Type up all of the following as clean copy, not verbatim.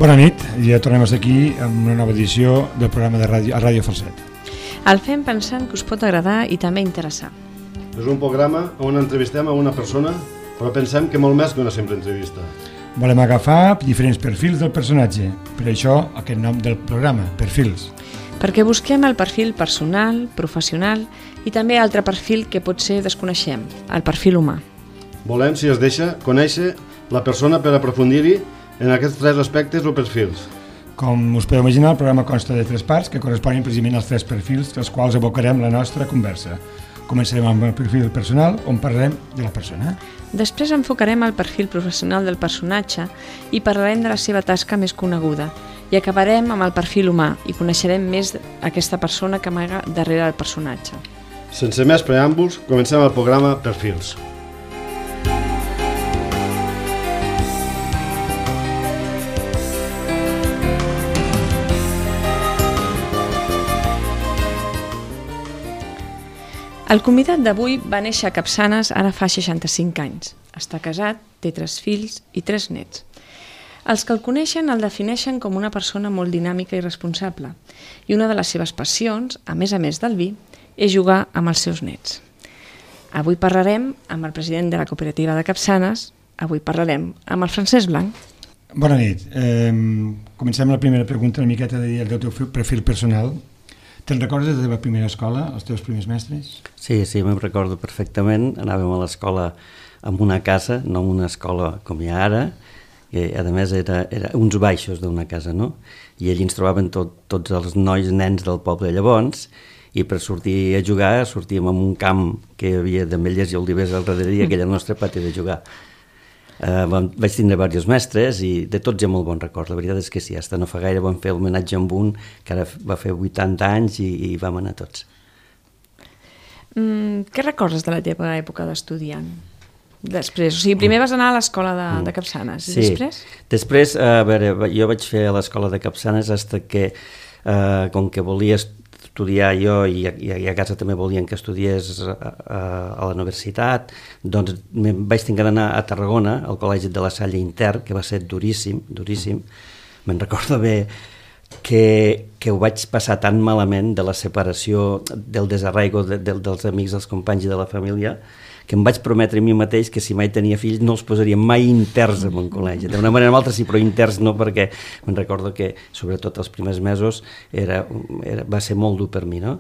Bona nit, ja tornem aquí amb una nova edició del programa de ràdio, a Ràdio Falset. El fem pensant que us pot agradar i també interessar. És un programa on entrevistem a una persona, però pensem que molt més que una simple entrevista. Volem agafar diferents perfils del personatge, per això aquest nom del programa, Perfils. Perquè busquem el perfil personal, professional i també altre perfil que potser desconeixem, el perfil humà. Volem, si es deixa, conèixer la persona per aprofundir-hi en aquests tres aspectes o perfils. Com us podeu imaginar, el programa consta de 3 parts que corresponen precisament als 3 perfils dels quals abocarem la nostra conversa. Començarem amb el perfil personal, on parlarem de la persona. Després enfocarem el perfil professional del personatge i parlarem de la seva tasca més coneguda. I acabarem amb el perfil humà i coneixerem més aquesta persona que amaga darrere del personatge. Sense més preàmbuls, comencem el programa Perfils. El convidat d'avui va néixer a Capçanes ara fa 65 anys. Està casat, té 3 fills i 3 nets. Els que el coneixen el defineixen com una persona molt dinàmica i responsable. I una de les seves passions, a més del vi, és jugar amb els seus nets. Avui parlarem amb el president de la cooperativa de Capçanes. Avui parlarem amb el Francesc Blanc. Bona nit. Comencem la primera pregunta una miqueta del teu perfil personal. Te'n recordes de la teva primera escola, els teus primers mestres? Sí, me'n recordo perfectament. Anàvem a l'escola en una casa, no en una escola com hi ha ara, que a més era uns baixos d'una casa, no? I allí ens trobaven tots els nois, nens del poble llavors, i per sortir a jugar sortíem en un camp que hi havia d'ametlles i olivers al darrere i aquell era el nostre pati de jugar. Vaig tindre diversos mestres i de tots hi ha molt bon record. La veritat és que sí, fins no fa gaire vam fer l'homenatge amb un que ara va fer 80 anys i vam anar tots. Què recordes de la teva època d'estudiant? Després, o sigui, primer vas anar a l'escola de Capçanes i després? Després, a veure, jo vaig fer a l'escola de Capçanes fins que, com que volia estudiar jo i a casa també volien que estudiés a la universitat, doncs vaig tenir d'anar a Tarragona, al Col·legi de la Salle Intern, que va ser duríssim. Me'n recordo bé que ho vaig passar tan malament de la separació, del desarraigo dels amics, dels companys i de la família, que em vaig prometre a mi mateix que si mai tenia fills no els posaria mai interns en un col·legi. D'una manera o altra sí, però interns no, perquè me'n recordo que sobretot els primers mesos va ser molt dur per mi, no?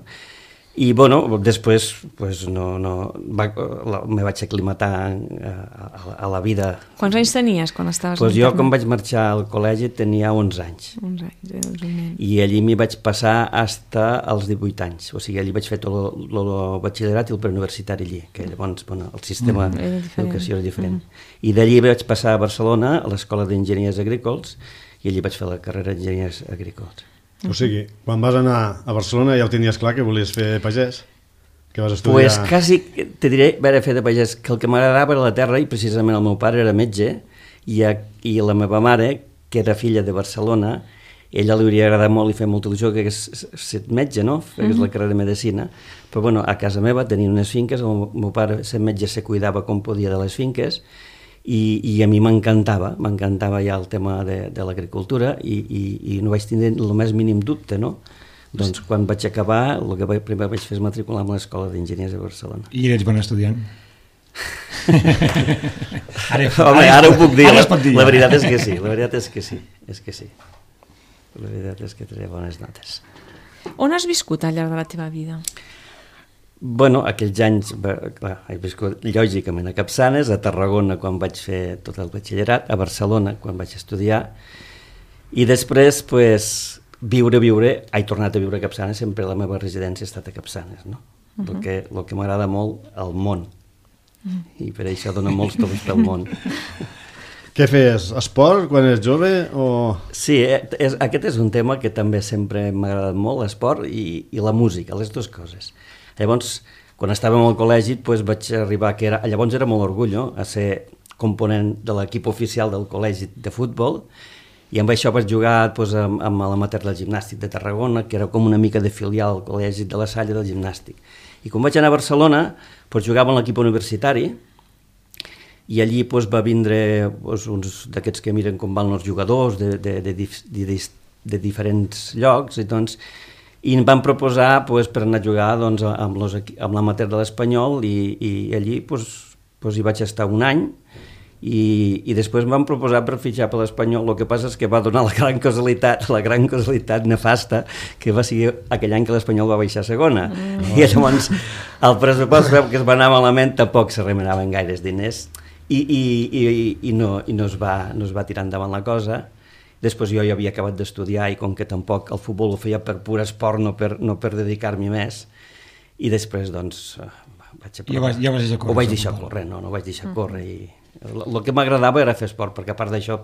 I bueno, després pues, me vaig aclimatar a la vida. Quants anys tenies quan estaves pues jo quan vaig marxar al col·legi tenia 11 anys. 11 anys, I allí m'hi vaig passar fins als 18 anys. O sigui, allí vaig fer tot el batxillerat i el preuniversitari allí, que llavors el sistema d'educació era diferent. I d'allí vaig passar a Barcelona, a l'Escola d'Enginyers Agrícoles, i allí vaig fer la carrera d'Enginyers Agrícoles. O sigui, quan vas anar a Barcelona ja ho tenies clar que volies fer pagès? Que vas estudiar... Pues quasi, te diré, vaig fer de pagès, que el que m'agradava era la terra i precisament el meu pare era metge i la meva mare, que era filla de Barcelona, ella li hauria agradat molt i fer molta il·lusió que hagués estat metge, no? Fes la carrera de medicina. Però bueno, a casa meva tenien unes finques, el meu pare, sent metge, se cuidava com podia de les finques i a mi m'encantava ja el tema de l'agricultura i no vaig tindre el més mínim dubte, no? Doncs quan vaig acabar, el que primer vaig fer és matricular a l'Escola d'Enginyers de Barcelona. I eres bon estudiant? Ara ho puc dir, la veritat és que sí, la veritat és que sí. La veritat és que tenia bones notes. On has viscut al llarg de la teva vida? Bueno, aquells anys, clar, he viscut lògicament a Capçanes, a Tarragona quan vaig fer tot el batxillerat, a Barcelona quan vaig estudiar, i després, pues, he tornat a viure a Capçanes, sempre la meva residència ha estat a Capçanes, no? El que m'agrada molt, el món, i per això dona molts tocs pel món. Què feies? Esport quan eres jove? Sí, aquest és un tema que també sempre m'ha agradat molt, l'esport i la música, les dues coses. Llavors, quan estàvem al col·legi, vaig arribar, llavors era molt orgull, a ser component de l'equip oficial del col·legi de futbol, i amb això vaig jugar amb l'amater del gimnàstic de Tarragona, que era com una mica de filial al col·legi de la Salle del gimnàstic. I quan vaig anar a Barcelona, jugava en l'equip universitari, i allí doncs, va vindre uns d'aquests que miren com van els jugadors de diferents llocs, i em van proposar per anar a jugar amb l'amateur de l'Espanyol, i allí hi vaig estar un any, i després em van proposar per fitxar per l'Espanyol. El que passa és que va donar la gran casualitat nefasta, que va ser aquell any que l'Espanyol va baixar a segona, i llavors el pressupost que es va anar malament, tampoc se remenaven gaires diners, i no es va tirar endavant la cosa. Després jo ja havia acabat d'estudiar, i com que tampoc el futbol ho feia per pur esport, no per dedicar-m'hi més, i després vaig deixar córrer. Ho vaig deixar córrer, no vaig deixar córrer, i el que m'agradava era fer esport, perquè a part d'això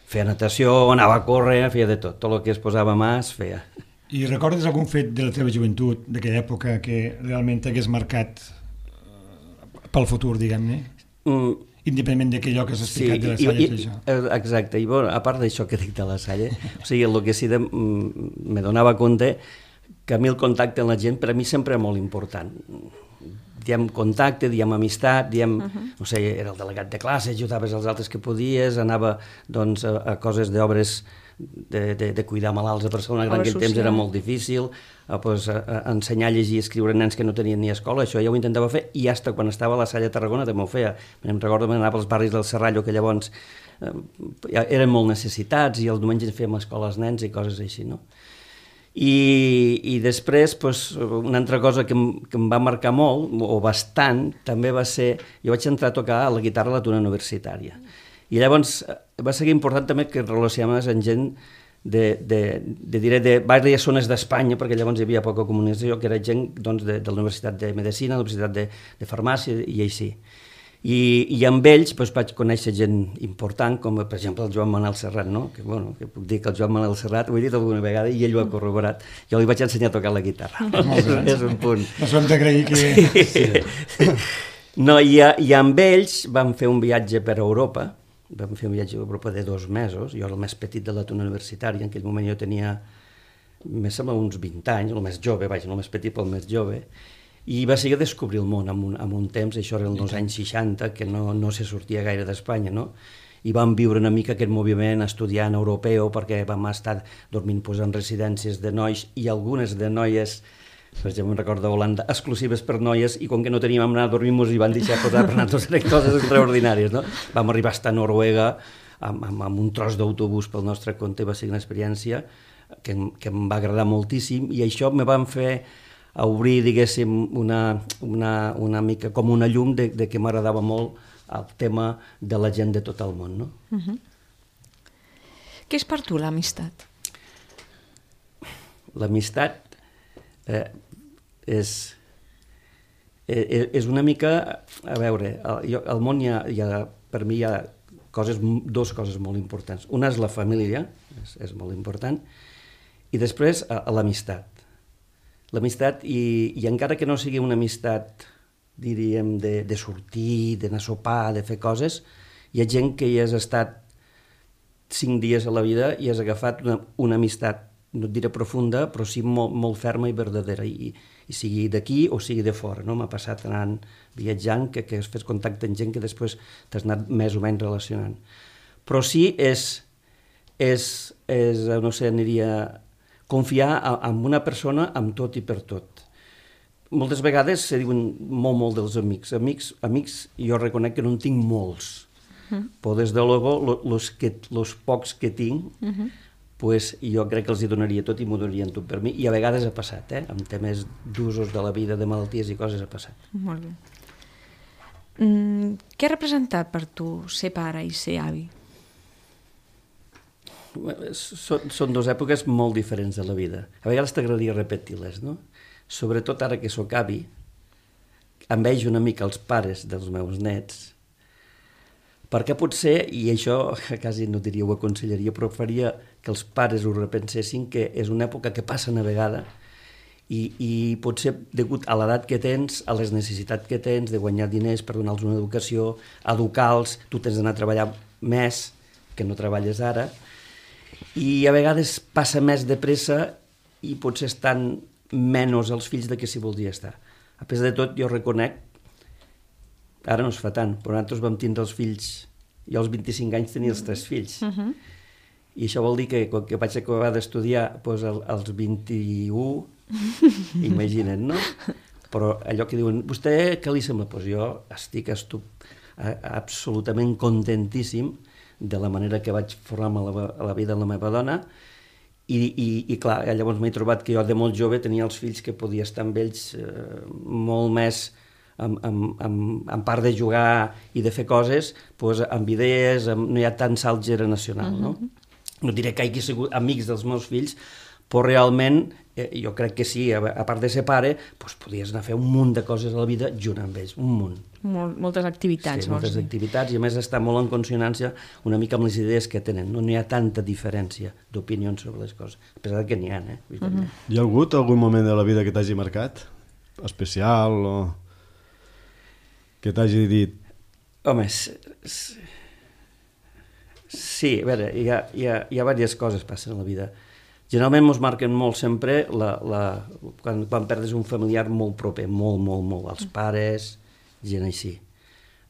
feia natació, anava a córrer, feia de tot el que es posava a mà es feia. I recordes algun fet de la teva joventut, d'aquella època, que realment t'hagués marcat pel futur, diguem-ne? Independentment d'aquell que has explicat de la Salle, això. Exacte, i a part d'això que dic de la Salle, o sigui, el que sí me donava compte que a mi el contacte amb la gent per a mi sempre era molt important. Diem contacte, diem amistat, no sé, era el delegat de classe, ajudaves els altres que podies, anava a coses d'obres de cuidar malalts a Barcelona, que en aquell temps era molt difícil, ensenyar a llegir i escriure nens que no tenien ni escola, això ja ho intentava fer, i fins quan estava a la Salle de Tarragona també ho feia. Em recordo que anava als barris del Serrallo, que llavors eren molt necessitats, i els diumenges fèiem escola als nens i coses així, no? I després, una altra cosa que em va marcar molt, o bastant, també va ser, jo vaig entrar a tocar la guitarra a la Tuna Universitària, i llavors va ser important també que relacionaves amb gent de diverses zones d'Espanya, perquè llavors hi havia poca comunicació, que era gent de la Universitat de Medicina, de la Universitat de Farmàcia i així. I amb ells vaig conèixer gent important, com per exemple el Joan Manel Serrat, no? Que puc dir que el Joan Manel Serrat, ho he dit alguna vegada i ell ho ha corroborat, jo li vaig ensenyar a tocar la guitarra. És un punt. Ens ho hem d'agrair que... No, i amb ells vam fer un viatge per Europa, vam fer un viatge a Europa de 2 mesos, jo era el més petit de la Tuna Universitària, en aquell moment jo tenia, més sembla, uns 20 anys, el més jove, no el més petit però el més jove, i va ser descobrir el món en un temps, això era els anys 60, que no se sortia gaire d'Espanya, no? I vam viure una mica aquest moviment estudiant europeu, perquè vam estar dormint en residències de nois, i algunes de noies, per exemple, em recordo d'Holanda, exclusives per noies, i com que no teníem on anar a dormir-nos i van deixar posar per nosaltres coses extraordinàries, no? Vam arribar a Noruega amb un tros d'autobús pel nostre compte, va ser una experiència que em va agradar moltíssim, i això me van fer a obrir, diguéssim, una mica com una llum de que m'agradava molt el tema de la gent de tot el món, no? Què és per tu l'amistat? L'amistat és una mica... A veure, al món per mi hi ha dues coses molt importants. Una és la família, és molt important, i després l'amistat. L'amistat, i encara que no sigui una amistat, diríem, de sortir, d'anar a sopar, de fer coses, hi ha gent que hi has estat 5 dies a la vida i has agafat una amistat, no et diré profunda, però sí molt ferma i verdadera, i sigui d'aquí o sigui de fora, no? M'ha passat anant viatjant que has fet contacte amb gent que després t'has anat més o menys relacionant. Però sí no sé, aniria... confiar en una persona amb tot i per tot. Moltes vegades se diuen molt dels amics. Amics, jo reconec que no en tinc molts, però des de luego, los pocs que tinc, jo crec que els hi donaria tot i m'ho donarien tot per mi, i a vegades ha passat, amb temes d'usos de la vida, de malalties i coses ha passat. Molt bé. Què ha representat per tu ser pare i ser avi? Són 2 èpoques molt diferents de la vida. A vegades t'agradaria repetir-les, no? Sobretot ara que sóc avi, envejo una mica els pares dels meus nets, perquè potser, i això quasi no diria ho aconsellaria, però faria que els pares ho repensessin, que és una època que passa una vegada, i potser degut a l'edat que tens, a les necessitats que tens de guanyar diners per donar-los una educació, educar-los, tu tens d'anar a treballar més que no treballes ara, i a vegades passa més de pressa i potser estan menys els fills de que s'hi voldria estar. A pesar de tot, jo reconec, Ara no es fa tant, però nosaltres vam tindre els fills, jo als 25 anys tenia els 3 fills, i això vol dir que quan vaig acabar d'estudiar als 21, imagina't, no? Però allò que diuen, vostè què li sembla? Doncs jo estic absolutament contentíssim de la manera que vaig formar a la vida de la meva dona i clar, llavors m'he trobat que jo de molt jove tenia els fills que podia estar amb ells molt més en part de jugar i de fer coses, doncs, amb idees, no hi ha tant salt generacional, no? No diré que hagi sigut amics dels meus fills, però realment jo crec que sí, a part de ser pare, doncs podies anar a fer un munt de coses a la vida junt amb ells, un munt. Moltes activitats. Sí, moltes activitats, i a més està molt en consonància una mica amb les idees que tenen. No hi ha tanta diferència d'opinions sobre les coses, a pesar que n'hi ha, Hi ha hagut algun moment de la vida que t'hagi marcat? Especial o que t'hagi dit? Home, sí, a veure, hi ha diverses coses que passen a la vida. Generalment ens marquen molt sempre quan perdes un familiar molt proper, molt, els pares, gent així.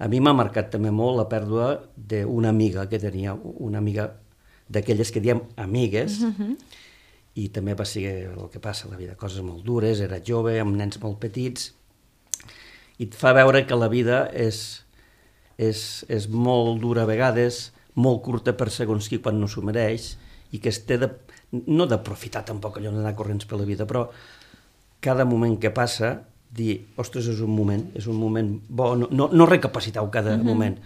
A mi m'ha marcat també molt la pèrdua d'una amiga que tenia, una amiga d'aquelles que diem amigues, i també va ser el que passa a la vida, coses molt dures, era jove, amb nens molt petits, i et fa veure que la vida és molt dura a vegades, molt curta per segons qui quan no s'ho mereix, i que es té no d'aprofitar tampoc allò d'anar corrents per la vida, però cada moment que passa, dir, ostres, és un moment bo, no recapacitar-ho cada moment,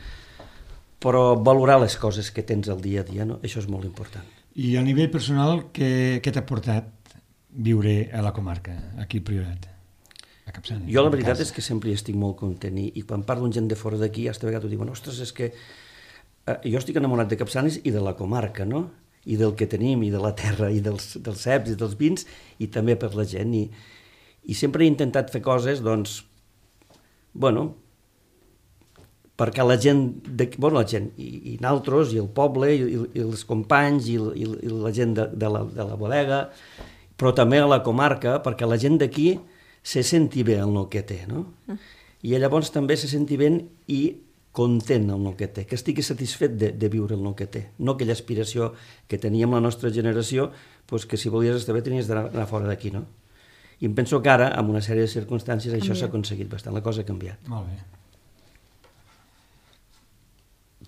però valorar les coses que tens al dia a dia, no? Això és molt important. I a nivell personal, què t'ha portat viure a la comarca, aquí al Priorat, a Capçanes? Jo la veritat és que sempre hi estic molt content, i quan parlo amb gent de fora d'aquí, hasta vegades ho diuen, ostres, és que jo estic enamorat de Capçanes i de la comarca, no? I del que tenim, i de la terra, i dels ceps, i dels vins, i també per la gent. I sempre he intentat fer coses, doncs, bueno, perquè la gent, i nosaltres, i el poble, i els companys, i la gent de la bodega, però també a la comarca, perquè la gent d'aquí se senti bé en el que té, no? I llavors també se senti bé i content amb el que té, que estigui satisfet de viure el que té, no aquella aspiració que teníem la nostra generació, doncs que si volies estar bé tenies d'anar fora d'aquí, no? I em penso que ara, amb una sèrie de circumstàncies, això s'ha aconseguit bastant, la cosa ha canviat. Molt bé.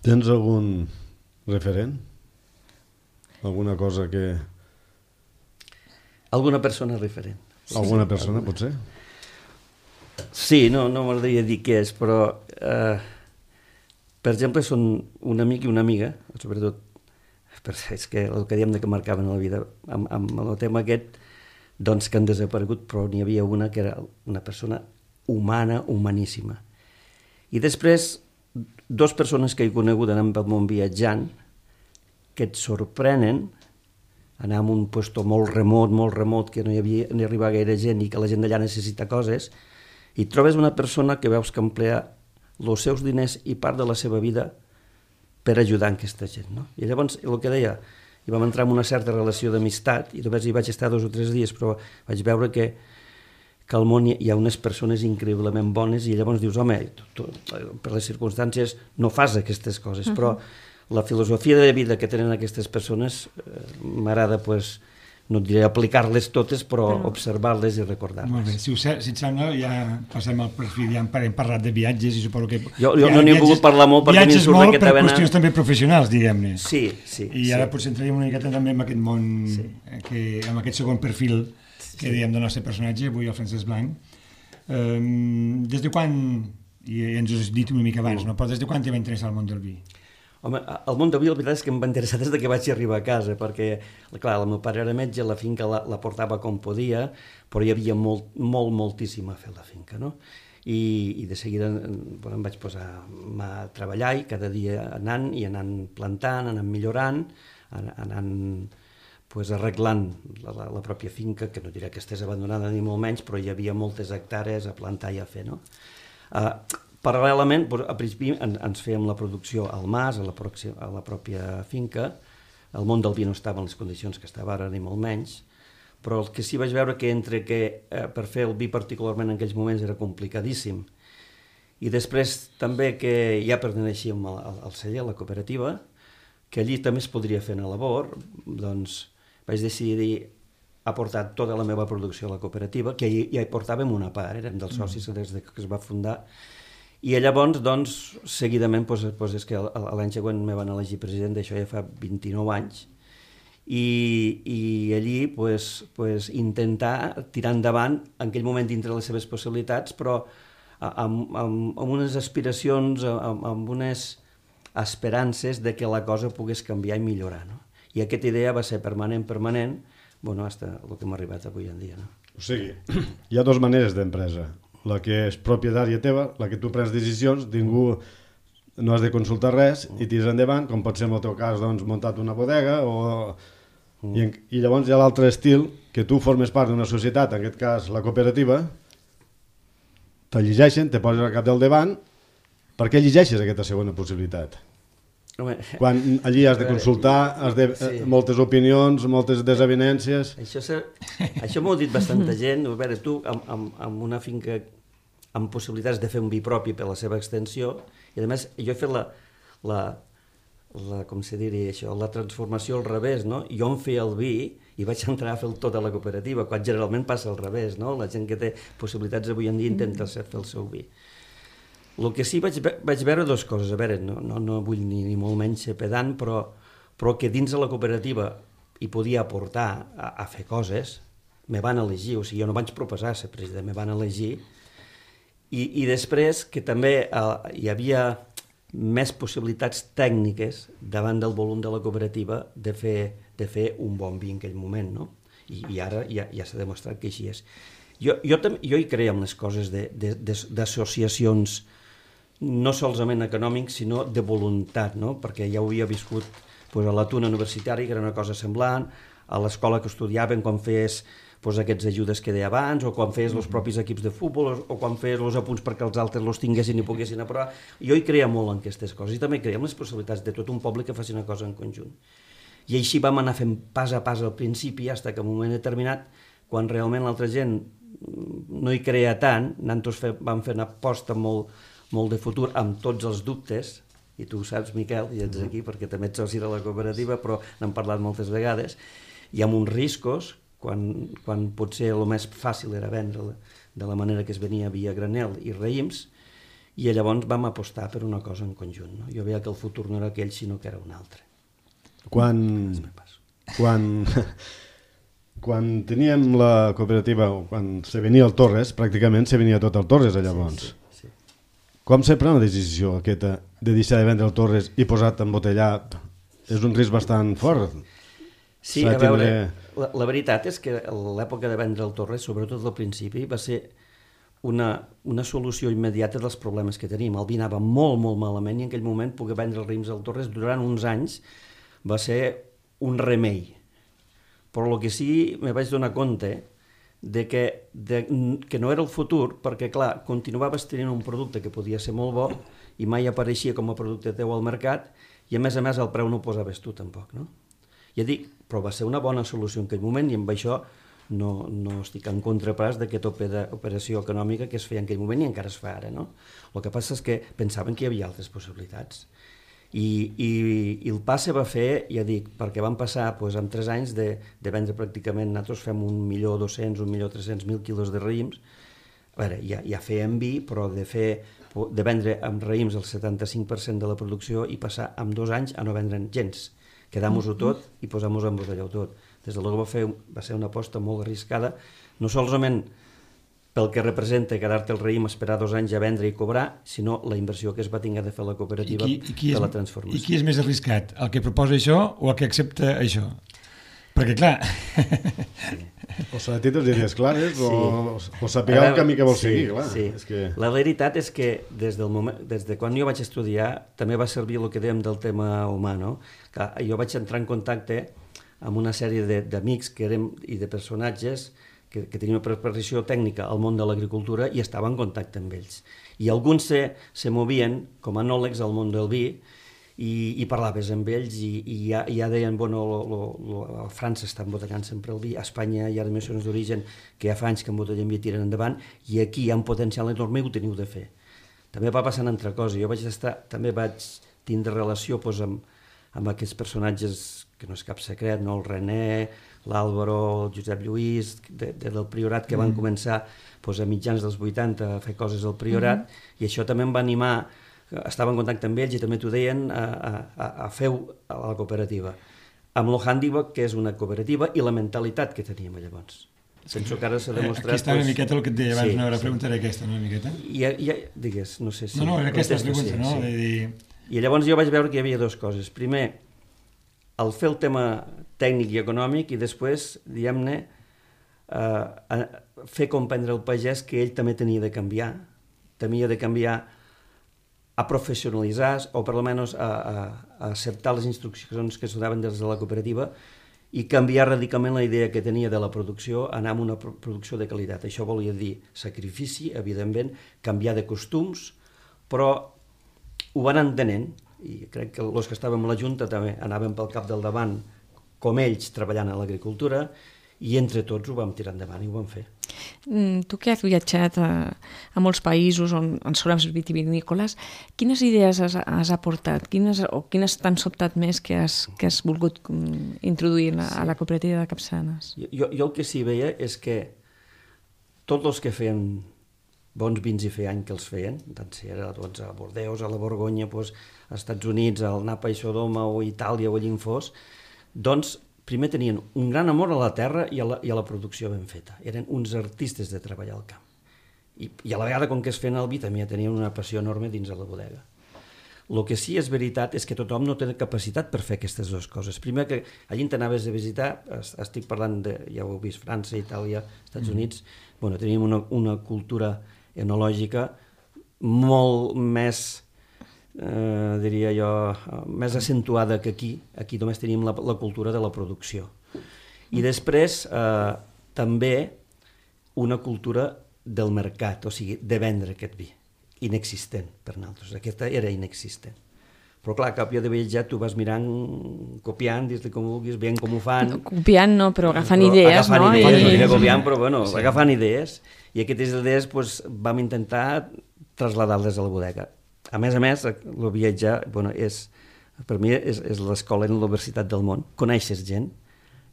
Tens algun referent? Alguna cosa que... Alguna persona referent. Alguna persona, potser? Sí, no m'agradaria dir què és, però... Per exemple, són un amic i una amiga, sobretot, és que el que diem que marcaven la vida, amb el tema aquest, doncs que han desaparegut, però n'hi havia una que era una persona humana, humaníssima. I després, 2 persones que he conegut anant pel món viatjant, que et sorprenen, anar a un lloc molt remot, que no hi arriba gaire gent i que la gent d'allà necessita coses, i trobes una persona que veus que emplea els seus diners i part de la seva vida per ajudar aquesta gent, no? I llavors, el que deia, hi vam entrar en una certa relació d'amistat, i només hi vaig estar 2 o 3 dies, però vaig veure que al món hi ha unes persones increïblement bones, i llavors dius, home, tu, per les circumstàncies no fas aquestes coses, però la filosofia de vida que tenen aquestes persones m'agrada, doncs, no et diré aplicar-les totes, però observar-les i recordar-les. Molt bé, si et sembla, ja passem al perfil, ja hem parlat de viatges i suposo que... Jo no n'he volgut parlar molt perquè m'hi surt aquesta vena... Viatges molt per qüestions també professionals, diguem-ne. Sí. I ara potser entraríem una miqueta també en aquest món, amb aquest segon perfil que dèiem del nostre personatge, avui el Francesc Blanc. Des de quan, i ens ho has dit una mica abans, però des de quan t'hi va interessar el món del vi? Home, el món del vi, la veritat és que em va interessar des que vaig arribar a casa, perquè, clar, el meu pare era metge, la finca la portava com podia, però hi havia moltíssim a fer la finca, no? I de seguida em vaig posar a treballar i cada dia anant plantant, anant millorant, anant arreglant la pròpia finca, que no diré que estés abandonada ni molt menys, però hi havia moltes hectàrees a plantar i a fer, no? Paral·lelament, a principi ens fèiem la producció al mas, a la pròpia finca. El món del vi no estava en les condicions que estava ara, ni molt menys, però el que sí vaig veure que per fer el vi particularment en aquells moments era complicadíssim, I després també que ja perteneixíem al celler, a la cooperativa, que allí també es podria fer una labor, doncs vaig decidir aportar tota la meva producció a la cooperativa, que ja hi portàvem una part, érem dels socis des que es va fundar, i llavors, doncs, seguidament, és que l'any següent me van elegir president, d'això ja fa 29 anys, i allí intentar tirar endavant en aquell moment dintre les seves possibilitats, però amb unes aspiracions, amb unes esperances de que la cosa pogués canviar i millorar, no? I aquesta idea va ser permanent, bueno, fins el que hem arribat avui en dia, no? O sigui, hi ha dues maneres d'empresa. La que és propietària teva, la que tu prens decisions, ningú no has de consultar res i tires endavant, com pot ser en el teu cas, doncs, muntat una bodega i llavors hi ha l'altre estil, que tu formes part d'una societat, en aquest cas la cooperativa, te llegeixen, te poses al cap del davant. Per què llegeixes aquesta segona possibilitat? Home, quan allí has de consultar, moltes opinions, moltes desavinències... Això m'ho ha dit bastanta gent. A veure, tu, amb una finca amb possibilitats de fer un vi propi per la seva extensió, i a més jo he fet com se diria això, la transformació al revés, no? Jo em feia el vi i vaig entrar a fer tot a la cooperativa, quan generalment passa al revés, no? La gent que té possibilitats avui en dia intenta fer el seu vi. El que sí vaig veure dues coses, a veure, no vull ni molt menys ser pedant, però que dins de la cooperativa hi podia aportar a fer coses, me van elegir, o sigui, jo no vaig proposar ser president, me van elegir, i després que també hi havia més possibilitats tècniques davant del volum de la cooperativa de fer un bon vi en aquell moment, no? I ara ja s'ha demostrat que així és. Jo hi creia en les coses d'associacions no solament econòmics, sinó de voluntat, no? Perquè ja ho havia viscut a la tuna universitària, que era una cosa semblant, a l'escola que estudiàvem quan feies aquests ajudes que deia abans, o quan feies els propis equips de futbol, o quan feies els apunts perquè els altres els tinguessin i poguessin aprovar. Jo hi creia molt en aquestes coses, i també creia en les possibilitats de tot un poble que faci una cosa en conjunt. I així vam anar fent pas a pas al principi, fins que en un moment determinat, quan realment l'altra gent no hi creia tant, nosaltres vam fer una aposta molt de futur amb tots els dubtes, i tu ho saps, Miquel, i ets aquí perquè també ets soci de la cooperativa, però n'hem parlat moltes vegades, i amb uns riscos, quan potser el més fàcil era vendre de la manera que es venia via granel i raïms, i llavors vam apostar per una cosa en conjunt, no? Jo veia que el futur no era aquell, sinó que era un altre. Quan teníem la cooperativa, quan se venia al Torres, pràcticament se venia tot al Torres, llavors. Sí. Com se pren la decisió aquesta de deixar de vendre el Torres i posar-te embotellat? És un risc bastant fort. Sí, a veure, la veritat és que l'època de vendre el Torres, sobretot al principi, va ser una solució immediata dels problemes que tenim. El vi anava molt malament i en aquell moment poder vendre els raïms al Torres durant uns anys va ser un remei. Però el que sí me vaig donar compte que no era el futur, perquè clar, continuaves tenint un producte que podia ser molt bo i mai apareixia com a producte teu al mercat, i a més el preu no ho posaves tu tampoc, no? Ja dic, però va ser una bona solució en aquell moment, i amb això no estic en contra pas d'aquesta operació econòmica que es feia en aquell moment i encara es fa ara, no? El que passa és que pensaven que hi havia altres possibilitats. I el pas se va fer, ja dic, perquè van passar en 3 anys de vendre pràcticament, nosaltres fem 1.200.000, 1.300.000 quilos de raïms. A veure, ja fèiem vi, però de vendre amb raïms el 75% de la producció i passar en 2 anys a no vendre'n gens. Quedam-ho tot i posam-ho en botelló tot. Des de luego va ser una aposta molt arriscada, no solament pel que representa quedar-te el raïm, esperar 2 anys a vendre i cobrar, sinó la inversió que es va tenir de fer la cooperativa de la transformació. I qui és més arriscat? El que proposa això o el que accepta això? Perquè, clar... O s'ha de tenir les idees clares o saber el camí que vol seguir, clar. Sí. La veritat és que des de quan jo vaig estudiar també va servir el que dèiem del tema humà, no? Jo vaig entrar en contacte amb una sèrie d'amics i de personatges que tenien una preparació tècnica al món de l'agricultura i estava en contacte amb ells. I alguns se movien com a anòlegs al món del vi i parlaves amb ells i ja deien, bueno, a França està embotellant sempre el vi, a Espanya hi ha denominacions d'origen que ja fa anys que embotellen vi i tiren endavant, i aquí hi ha un potencial enorme i ho teniu de fer. també va passant altra cosa. Jo també vaig tindre relació doncs, amb aquests personatges, que no és cap secret, no? El René, l'Àlvaro, el Josep Lluís, del Priorat, que van començar doncs, a mitjans dels 80 a fer coses al Priorat, i això també em va animar, estava en contacte amb ells i també t'ho deien, a fer a la cooperativa. Amb lo Handiwork, que és una cooperativa, i la mentalitat que teníem llavors. Penso que ara s'ha demostrat... Aquí està una miqueta el que et deia abans, no? Ara preguntaré aquesta, no? Una miqueta. Digues, no sé si... No, era aquesta pregunta, no? I llavors jo vaig veure que hi havia dues coses. Primer, el fer el tema tècnic i econòmic, i després, diguem-ne, fer comprendre al pagès que ell també tenia de canviar a professionalitzar, o per almenys a acceptar les instruccions que es donaven des de la cooperativa, i canviar radicalment la idea que tenia de la producció, anar a una producció de qualitat. Això volia dir sacrifici, evidentment, canviar de costums, però ho van entenent, i crec que els que estàvem a la Junta també anàvem pel cap del davant, com ells, treballant a l'agricultura, i entre tots ho vam tirar endavant i ho vam fer. Tu que has viatjat a molts països on són els vitivinícoles, quines idees has aportat? Quines t'han sobtat més que has volgut introduir a la cooperativa de Capçanes? Jo el que sí veia és que tots els que feien bons vins, i feia anys que els feien, tant si era a Bordeus, a la Borgonya, als Estats Units, al Napa i Sodoma, o a Itàlia, o allà on fos, doncs primer tenien un gran amor a la terra i a la producció ben feta. Eren uns artistes de treballar al camp. I a la vegada, com que es feien el vi, també tenien una passió enorme dins de la bodega. El que sí és veritat és que tothom no té capacitat per fer aquestes dues coses. Primer, que allí t'anaves a visitar, estic parlant ja ho heu vist, França, Itàlia, Estats Units, teníem una cultura enològica molt més, diria jo, més accentuada que aquí. Aquí només teníem la cultura de la producció. I després també una cultura del mercat, o sigui, de vendre aquest vi, inexistent per nosaltres. Aquesta era inexistent. Però clar, cap jo de viatjar tu vas mirant, copiant, dis-li com vulguis, veient com ho fan. Copiant no, però agafant idees, no? Copiant, però bueno, agafant idees. I aquestes idees vam intentar traslladar-les a la bodega. A més, el viatjar, per mi és l'escola en la universitat del món. Coneixes gent,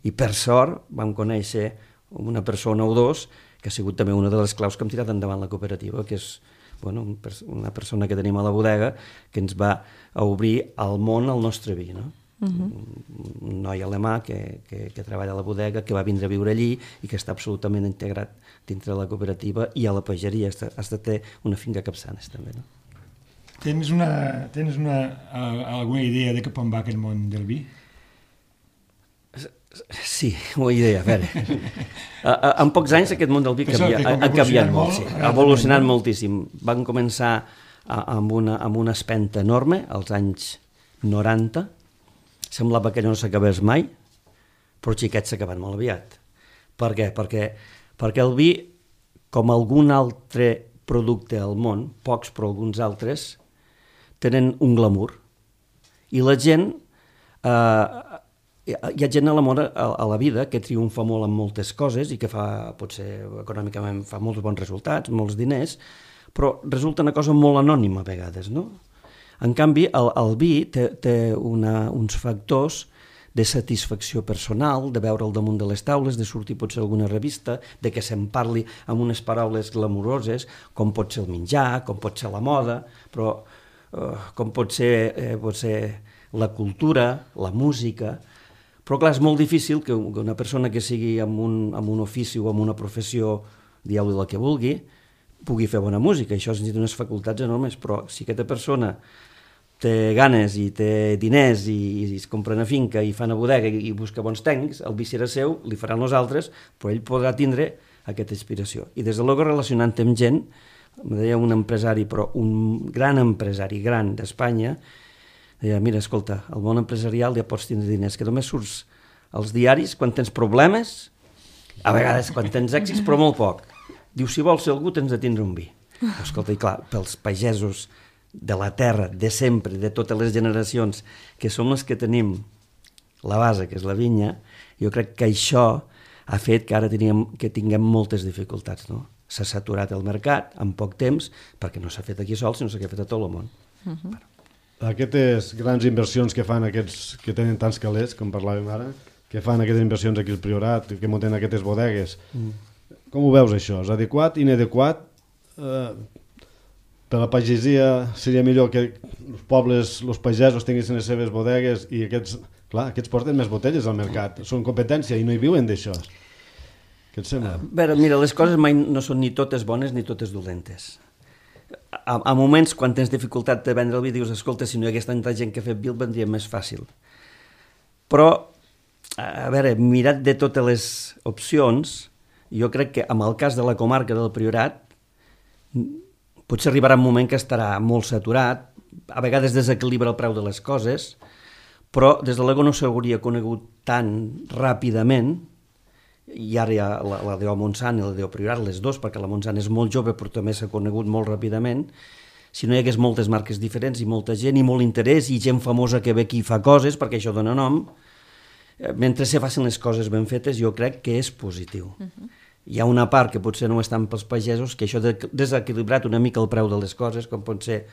i per sort vam conèixer una persona o dos que ha sigut també una de les claus que hem tirat endavant la cooperativa, que és una persona que tenim a la bodega que ens va obrir al món el nostre vi, no? Un noi alemà que treballa a la bodega, que va vindre a viure allí i que està absolutament integrat dintre de la cooperativa i a la pageria. Has de tenir una finca a Capçanes també, no? Tens alguna idea de cap on va aquest món del vi? Sí, una idea, a veure. En pocs anys aquest món del vi ha canviat molt, ha evolucionat moltíssim. Van començar amb una espenta enorme als anys 90, semblava que no s'acabés mai, però xiquets s'acaben molt aviat. Per què? Perquè el vi, com algun altre producte al món, pocs però alguns altres, tenen un glamour. I la gent, hi ha gent a la vida que triomfa molt en moltes coses i que potser econòmicament fa molts bons resultats, molts diners, però resulta una cosa molt anònima a vegades, no? En canvi, el vi té uns factors de satisfacció personal, de veure'l damunt de les taules, de sortir potser alguna revista, de que se'n parli amb unes paraules glamuroses, com pot ser el menjar, com pot ser la moda, però com pot ser la cultura, la música. Però clar, és molt difícil que una persona que sigui amb un ofici o amb una professió, dieu-li la que vulgui, pugui fer bona música. Això necessita unes facultats enormes, però si aquesta persona té ganes i té diners i es compra una finca i fa una bodega i busca bons tècnics, el vi serà seu, li faran els altres, però ell podrà tindre aquesta inspiració. I des de l'Ogo, relacionant amb gent, em deia un empresari, però un gran empresari, gran d'Espanya, deia, mira, escolta, al món empresarial ja pots tindre diners, que només surts als diaris quan tens problemes, a vegades quan tens èxits, però molt poc. Diu, si vols ser algú, tens de tindre un vi. Escolta, i clar, pels pagesos de la terra, de sempre, de totes les generacions, que som les que tenim la base, que és la vinya, jo crec que això ha fet que ara tinguem moltes dificultats, no? s'ha saturat el mercat en poc temps, perquè no s'ha fet aquí sol, sinó que s'ha fet a tot el món. Aquestes grans inversions que fan aquests que tenen tants calés, com parlàvem ara, que fan aquestes inversions aquí al Priorat, que munten aquestes bodegues, com ho veus això? És adequat, inadequat? Per la pagesia seria millor que els pobles, els pagesos tinguessin les seves bodegues i aquests porten més botelles al mercat, són competència i no hi viuen d'això. Què et sembla? Mira, les coses mai no són ni totes bones ni totes dolentes. A moments, quan tens dificultat de vendre el vi, dius, escolta, si no hi hagués tanta gent que ha fet vi, el vendria més fàcil. Però, a veure, mirat de totes les opcions, jo crec que en el cas de la comarca del Priorat, potser arribarà un moment que estarà molt saturat, a vegades desequilibra el preu de les coses, però des de l'ego no s'hauria conegut tan ràpidament, i ara hi ha la DO Montsant i la DO Priorat, les dues, perquè la Montsant és molt jove però també s'ha conegut molt ràpidament. Si no hi hagués moltes marques diferents i molta gent i molt interès i gent famosa que ve aquí i fa coses, perquè això dona nom, mentre se facin les coses ben fetes, jo crec que és positiu. Hi ha una part que potser no és tant pels pagesos, que això ha desequilibrat una mica el preu de les coses, com pot ser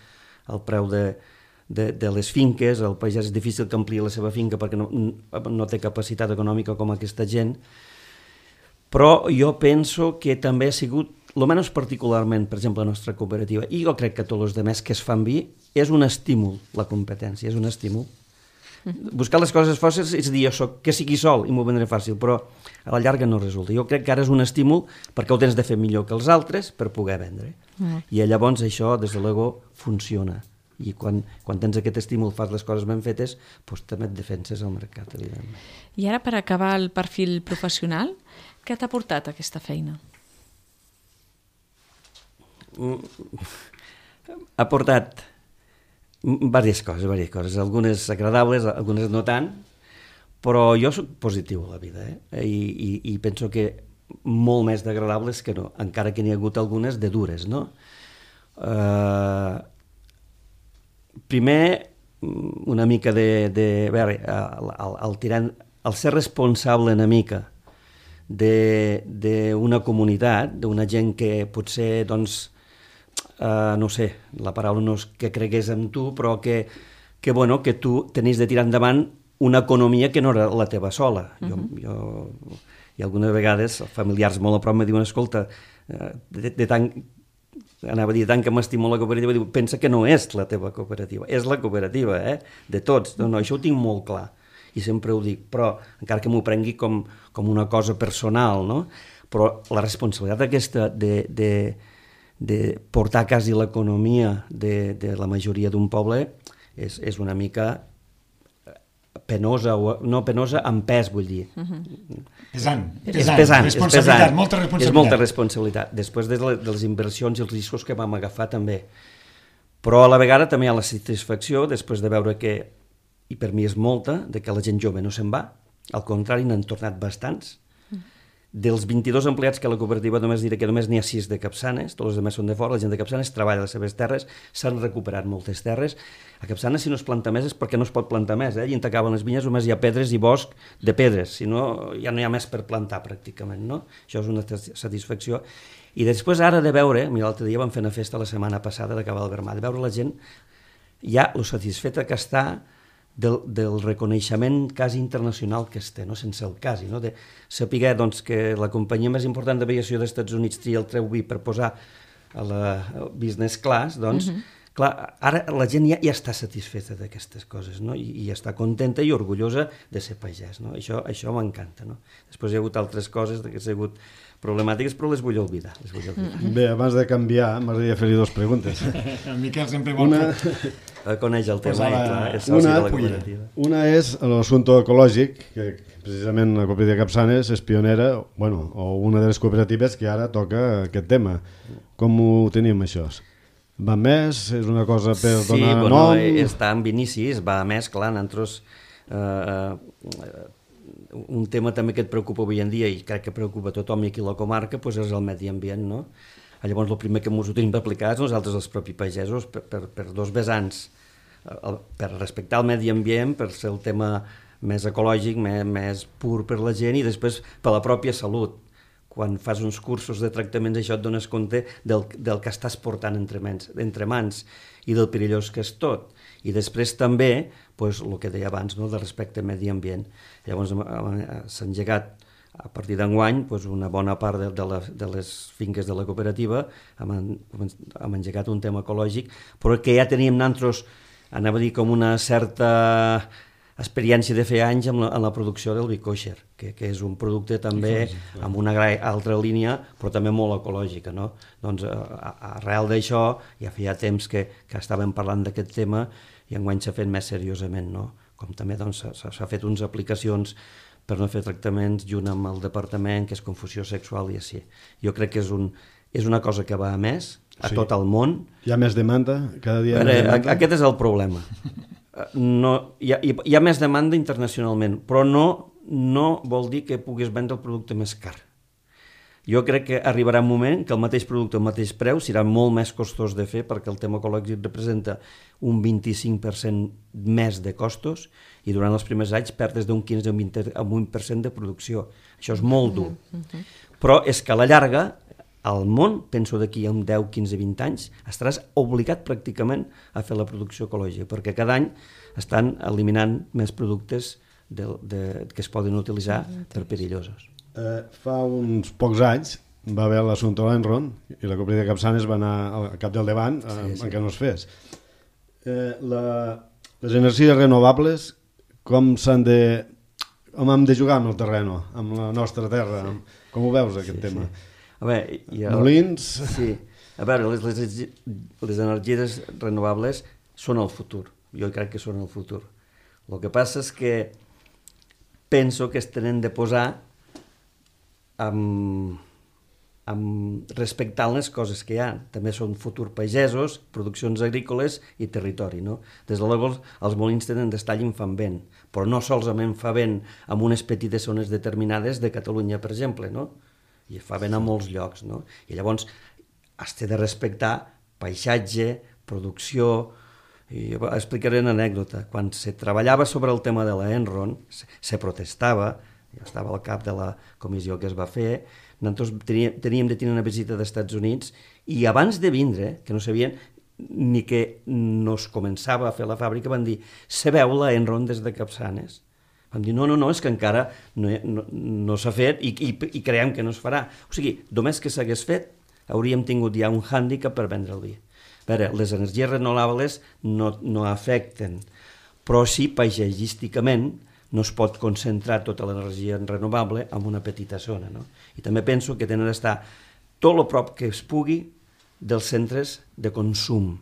el preu de les finques. El pagès és difícil que ampliï la seva finca perquè no té capacitat econòmica com aquesta gent. Però jo penso que també ha sigut, almenys particularment, per exemple, la nostra cooperativa, i jo crec que tots els altres que es fan vi, és un estímul, la competència, és un estímul. Buscar les coses fàcils és dir, que sigui sol i m'ho vendré fàcil, però a la llarga no resulta. Jo crec que ara és un estímul perquè ho tens de fer millor que els altres per poder vendre. I llavors això, des de l'ego, funciona. I quan tens aquest estímul, fas les coses ben fetes, doncs també et defenses al mercat, evidentment. I ara, per acabar el perfil professional, què t'ha portat aquesta feina? Ha portat diverses coses, algunes agradables, algunes no tant, però jo soc positiu a la vida, i penso que molt més d'agradables que no, encara que n'hi ha hagut algunes de dures, no? Primer, una mica el ser responsable una mica d'una comunitat, d'una gent que potser, doncs, no sé, la paraula no és que cregués en tu, però que tu tenies de tirar endavant una economia que no era la teva sola. I algunes vegades familiars molt a prop me diuen, escolta, anava a dir, tant que m'estimo la cooperativa, diu, pensa que no és la teva cooperativa, és la cooperativa, de tots. No, això ho tinc molt clar. I sempre ho dic, però encara que m'ho prengui com una cosa personal, no? Però la responsabilitat aquesta de portar a casa l'economia de la majoria d'un poble és una mica penosa, no penosa, amb pes, vull dir. Pesant. Responsabilitat, molta responsabilitat. És molta responsabilitat, després de les inversions i els riscos que vam agafar també. Però a la vegada també hi ha la satisfacció, després de veure que, i per mi és molta, de que la gent jove no se'n va, al contrari, n'han tornat bastants. Dels 22 empleats que a la cooperativa només diré que només n'hi ha 6 de Capçanes, tots els altres són de fora, la gent de Capçanes treballa a les seves terres, s'han recuperat moltes terres. A Capçanes, si no es planta més és perquè no es pot plantar més, i on acaben les vinyes només hi ha pedres i bosc de pedres, si no ja no hi ha més per plantar pràcticament, no? Això és una satisfacció. I després ara de veure, mira, l'altre dia vam fer una festa la setmana passada d'acabar el Vermà, de veure la gent ja lo satisfeta que està del reconeixement quasi internacional que es té, no? Sense el quasi, no? De saber, doncs, que la companyia més important d'aviació dels Estats Units tria el Treu Vi per posar a la business class, doncs, clar, ara la gent ja està satisfeta d'aquestes coses, no? I està contenta i orgullosa de ser pagès, no? Això m'encanta, no? Després hi ha hagut altres coses que han sigut problemàtiques, però les vull oblidar. Bé, abans de canviar, m'agradaria fer-li 2 preguntes. El Miquel sempre vol... Coneix el tema, clar, és soci de la cooperativa. Una és l'assumpte ecològic, que precisament la cooperativa Capçanes és pionera, o una de les cooperatives que ara toca aquest tema. Com ho tenim, això? Va més? És una cosa per donar nom? Sí, està en inicis, va més, clar, nosaltres... un tema també que et preocupa avui en dia i crec que preocupa a tothom i aquí a la comarca és el medi ambient, no? Llavors el primer que ens ho tenim d'aplicar és nosaltres els propis pagesos per 2 vessants, per respectar el medi ambient, per ser el tema més ecològic, més pur per la gent i després per la pròpia salut. quan fas uns cursos de tractaments, això et dones compte del que estàs portant entre mans i del perillós que és tot. I després també, el que deia abans, del respecte al medi ambient. Llavors s'ha engegat, a partir d'enguany, una bona part de les finques de la cooperativa hem engegat un tema ecològic, però que ja teníem nosaltres, anava a dir, com una certa experiència de fer anys en la producció del vi kosher, que és un producte també amb una altra línia, però també molt ecològica, no? Doncs arrel d'això, ja feia temps que estàvem parlant d'aquest tema i enguany s'ha fet més seriosament, no? Com també s'ha fet unes aplicacions per no fer tractaments junt amb el departament, que és confusió sexual i així. Jo crec que és una cosa que va a més, a tot el món. Hi ha més demanda? Cada dia més demanda? Aquest és el problema. Hi ha més demanda internacionalment, però no vol dir que puguis vendre el producte més car. Jo crec que arribarà un moment que el mateix producte al mateix preu serà molt més costós de fer, perquè el tema ecològic representa un 25% més de costos i durant els primers anys perdes d'un 15 a un 20% de producció. Això és molt dur. Però és que a la llarga, al món, penso d'aquí a un 10, 15, 20 anys, estaràs obligat pràcticament a fer la producció ecològica, perquè cada any estan eliminant més productes que es poden utilitzar per perillosos. Fa uns pocs anys va haver l'assumpte Enron i la cooperativa de Capçanes va anar al cap del davant en què no es fes. Les energies renovables, com hem de jugar amb el terreny, amb la nostra terra? Com ho veus, aquest tema? Molins? Sí. A veure, les energies renovables són el futur. Jo crec que són el futur. El que passa és que penso que es tenen de posar respectant les coses que hi ha. També són futur pagesos, produccions agrícoles i territori, no? Des de llavors, els molins tenen d'estar allà fan vent, però no solament fa vent en unes petites zones determinades de Catalunya, per exemple, no? I fa vent a molts llocs, no? I llavors has de respectar paisatge, producció. I explicaré una anècdota. Quan se treballava sobre el tema de l'Enron, se protestava, jo estava al cap de la comissió que es va fer, nosaltres teníem de tenir una visita dels Estats Units i abans de vindre, que no sabien ni que no es començava a fer la fàbrica, van dir, sabeu l'Enron des de Capçanes? Vam dir, no, és que encara no s'ha fet i creiem que no es farà. O sigui, només que s'hagués fet, hauríem tingut ja un hàndicap per vendre el vi. A veure, les energies renovables no afecten, però sí paisatgísticament no es pot concentrar tota l'energia renovable en una petita zona, no? I també penso que tenen d'estar tot el prop que es pugui dels centres de consum.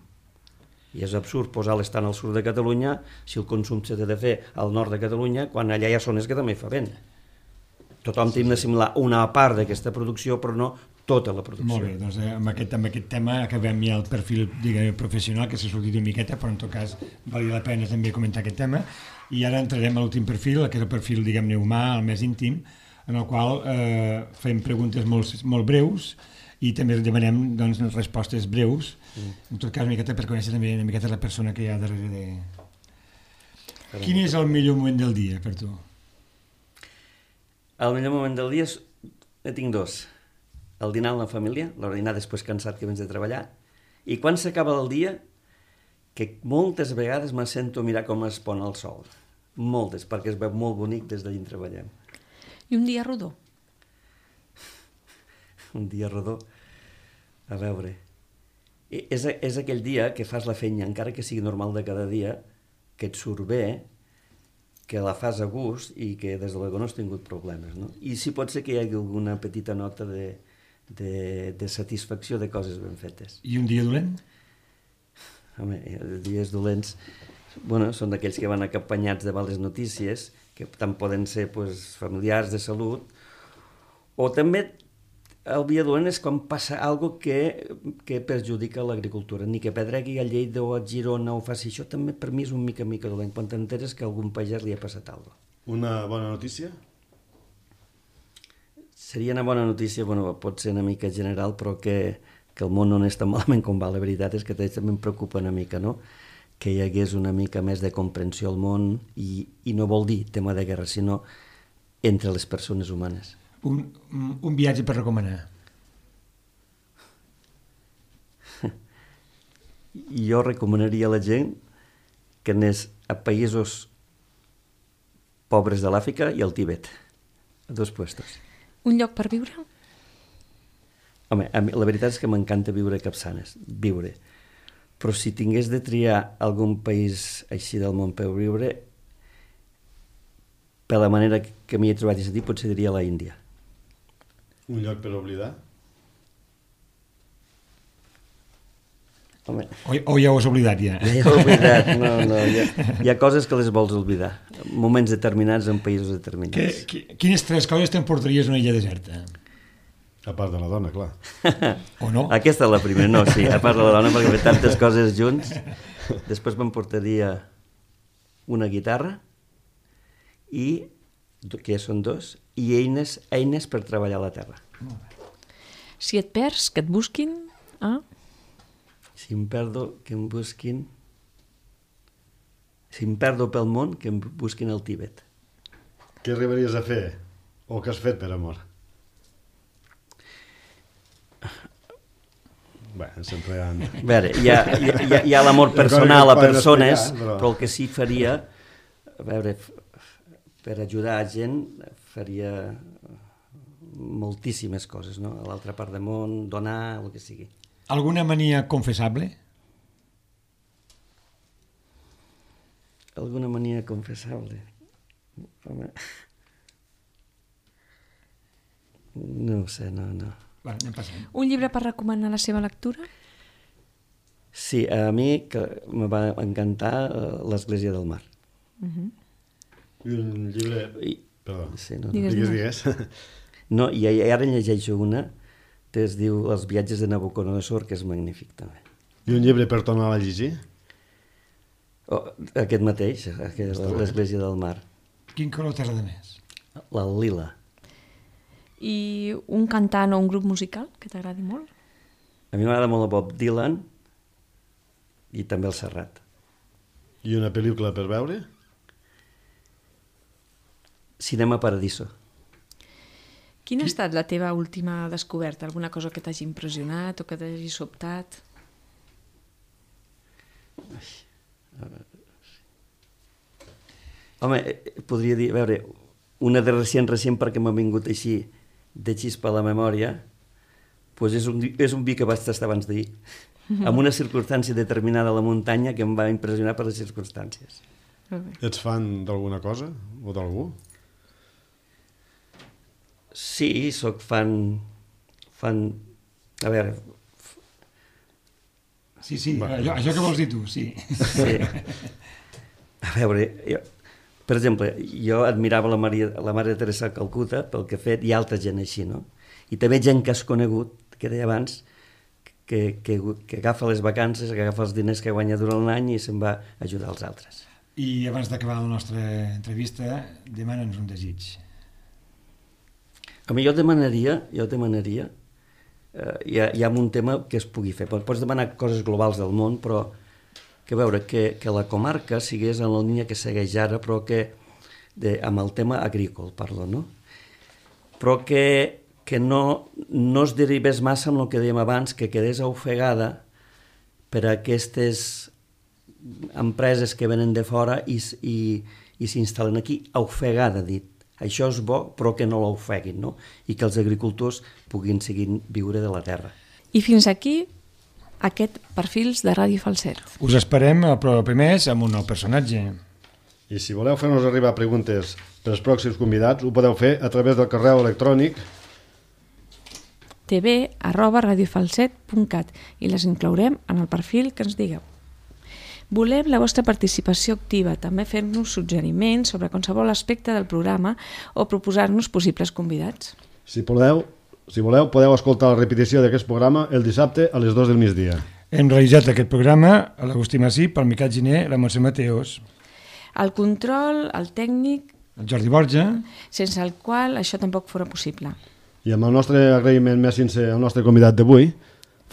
I és absurd posar-les tant al sud de Catalunya si el consum s'ha de fer al nord de Catalunya quan allà hi ha zones que també fa vent. Tothom té d'assimilar una part d'aquesta producció, però no tota la producció. Molt bé, doncs amb aquest tema acabem ja el perfil, diguem, professional, que s'ha sortit una miqueta, però en tot cas valia la pena també comentar aquest tema. I ara entrarem a l'últim perfil, que és el perfil, diguem-ne, humà, el més íntim, en el qual fem preguntes molt breus i també demanem respostes breus, en tot cas una miqueta per conèixer també una miqueta la persona que hi ha darrere de... Quin és el millor moment del dia per tu? El millor moment del dia en tinc dos. El dinar amb la família, l'hora de dinar després cansat que vens de treballar, i quan s'acaba el dia, que moltes vegades me sento mirar com es pon el sol. Moltes, perquè es veu molt bonic des d'allà on treballem. I un dia rodó? Un dia rodó. A veure, és aquell dia que fas la feina, encara que sigui normal de cada dia, que et surt bé, que la fas a gust i que des de l'ego no has tingut problemes, no? I sí pot ser que hi hagi alguna petita nota de satisfacció de coses ben fetes. I un dia dolent? Home, dies dolents són d'aquells que van acompanyats de males notícies, que tant poden ser familiars, de salut, o també el dia dolent és quan passa alguna cosa que perjudica l'agricultura, ni que pedregui a Lleida o a Girona o faci això, també per mi és un mica dolent, quan t'enteres que a algun pagès li ha passat alguna cosa. Una bona notícia? Seria una bona notícia, pot ser una mica general, però que el món no és tan malament com va. La veritat és que també em preocupa una mica, no? Que hi hagués una mica més de comprensió al món i no vol dir tema de guerra, sinó entre les persones humanes. un viatge per recomanar. Jo recomanaria a la gent que anés a països pobres de l'Àfrica i al Tibet, a 2 puestos. Un lloc per viure? Home, a mi, la veritat és que m'encanta viure a Capçanes, viure. Però si tingués de triar algun país així del món per viure, per la manera que m'hi he trobat i sentit, potser diria la Índia. Un lloc per oblidar? Home, O ja ho has oblidat, ja? ja he oblidat, no, hi ha coses que les vols oblidar. Moments determinats en països determinats. Quines 3 coses t'emportaries a una illa deserta? A part de la dona, clar. O no? Aquesta és la primera, no, sí, a part de la dona, perquè fer tantes coses junts. Després m'emportaria una guitarra i, que ja són 2, i eines per treballar a la terra. Si et perds, que et busquin... Si em perdo, que em busquin... Si em perdo pel món, que em busquin al Tibet. Què arribaries a fer? O què has fet per amor? Bé, sempre hi ha... A veure, hi ha l'amor personal a persones, però el que sí faria, a veure, per ajudar a gent, faria moltíssimes coses, no? A l'altra part del món, donar, el que sigui. Alguna mania confessable? Alguna mania confessable? Home... No ho sé, no. Va, anem passant. Un llibre per recomanar la seva lectura? Sí, a mi que me va encantar l'Església del Mar. I un llibre... Perdó, Sí, no, digues. No, i ara en llegeixo una que es diu Els viatges de Nabucodonosor, que és magnífic també. I un llibre per tornar a llegir? Aquest mateix, l'Església del Mar. Quin color t'agrada més? El lila. I un cantant o un grup musical que t'agradi molt? A mi m'agrada molt el Bob Dylan i també el Serrat. I una pel·lícula per veure? Cinema Paradiso. Quina ha estat la teva última descoberta? Alguna cosa que t'hagi impressionat o que t'hagi sobtat? Home, podria dir, a veure, una de recent perquè m'ha vingut així de xispa a la memòria, doncs és un vi que vaig tastar abans d'ahir, amb una circumstància determinada a la muntanya que em va impressionar per les circumstàncies. Ets fan d'alguna cosa o d'algú? Sí, sóc fan... A veure... Sí, això que vols dir tu, sí. Sí. A veure, per exemple, jo admirava la Mare Teresa de Calcuta pel que ha fet, i altra gent així, no? I també gent que has conegut, que deia abans, que agafa les vacances, que agafa els diners que guanya durant l'any i se'n va ajudar als altres. I abans d'acabar la nostra entrevista, demana'ns un desig. A mi jo demanaria, hi ha un tema que es pugui fer. Pots demanar coses globals del món, però que veure que la comarca sigués en la línia que segueix ara, però que amb el tema agrícola, parlo, no? Però que no es derivés massa amb el que dèiem abans, que quedés ofegada per aquestes empreses que venen de fora i s'instal·len aquí, ofegada, dit. Això és bo, però que no l'ofeguin, no? I que els agricultors puguin seguir viure de la terra. I fins aquí aquest Perfils de Ràdio Falset. Us esperem el proper mes amb un nou personatge. I si voleu fer-nos arribar preguntes per als pròxims convidats, ho podeu fer a través del correu electrònic tv@radiofalset.cat i les inclourem en el perfil que ens digueu. Volem la vostra participació activa, també fer-nos suggeriments sobre qualsevol aspecte del programa o proposar-nos possibles convidats. Si voleu, podeu escoltar la repetició d'aquest programa el dissabte a les 2 del migdia. Hem realitzat aquest programa a l'Agustí Massí, pel Miquel Giner, la Montse Mateos, El control, el tècnic, el Jordi Borja, sense el qual això tampoc fora possible. I amb el nostre agraïment més sincer al nostre convidat d'avui,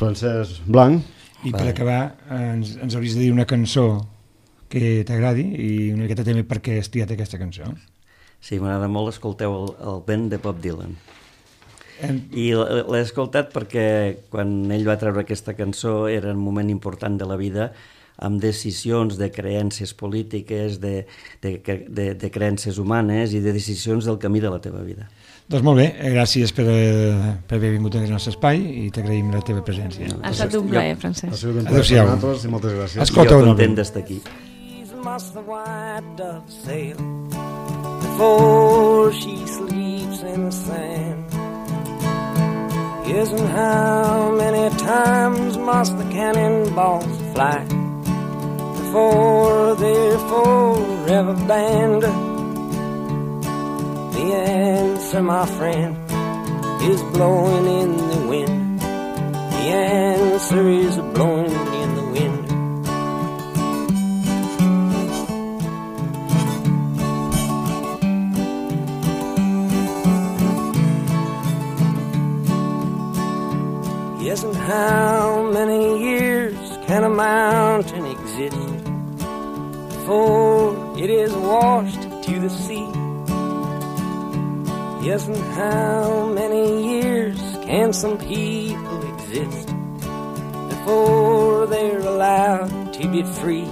Francesc Blanc. i per acabar ens hauries de dir una cançó que t'agradi i una miqueta també per què has triat aquesta cançó. Sí, m'agrada molt, escolteu el vent de Bob Dylan. I l'he escoltat perquè quan ell va treure aquesta cançó era un moment important de la vida, amb decisions de creences polítiques, de creences humanes i de decisions del camí de la teva vida. Doncs molt bé, gràcies per haver vingut al nostre espai i t'agraïm la teva presència. Ha estat un plaer, Francesc. Ha sigut un plaer per nosaltres i moltes gràcies. Escolta, jo content d'estar aquí. Before she sleeps in the sand. Yes, and how many times must the cannonballs fly before they're forever banned? The answer, my friend, is blowing in the wind. The answer is blowing in the wind. Yes, and how many years can a mountain exist before it is washed to the sea? Yes, and how many years can some people exist before they're allowed to be free?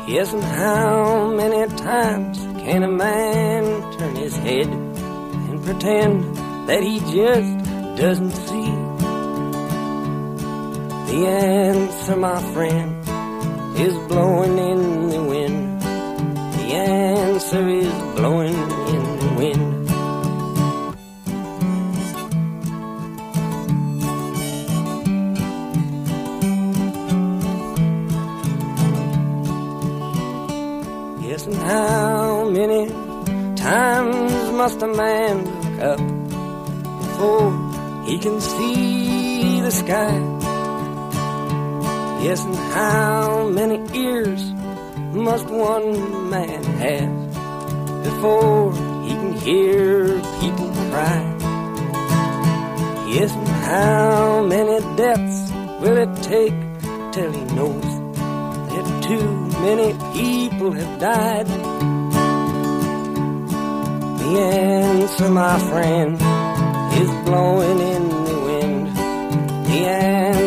Yes, and how many times can a man turn his head and pretend that he just doesn't see? The answer, my friend, is blowing in the wind. The answer is blowing in the wind. Yes, and how many times must a man look up before he can see the sky? Yes, and how many ears must one man have before he can hear people cry? Yes, and how many deaths will it take till he knows that too many people have died? The answer, my friend, is blowing in the wind. The answer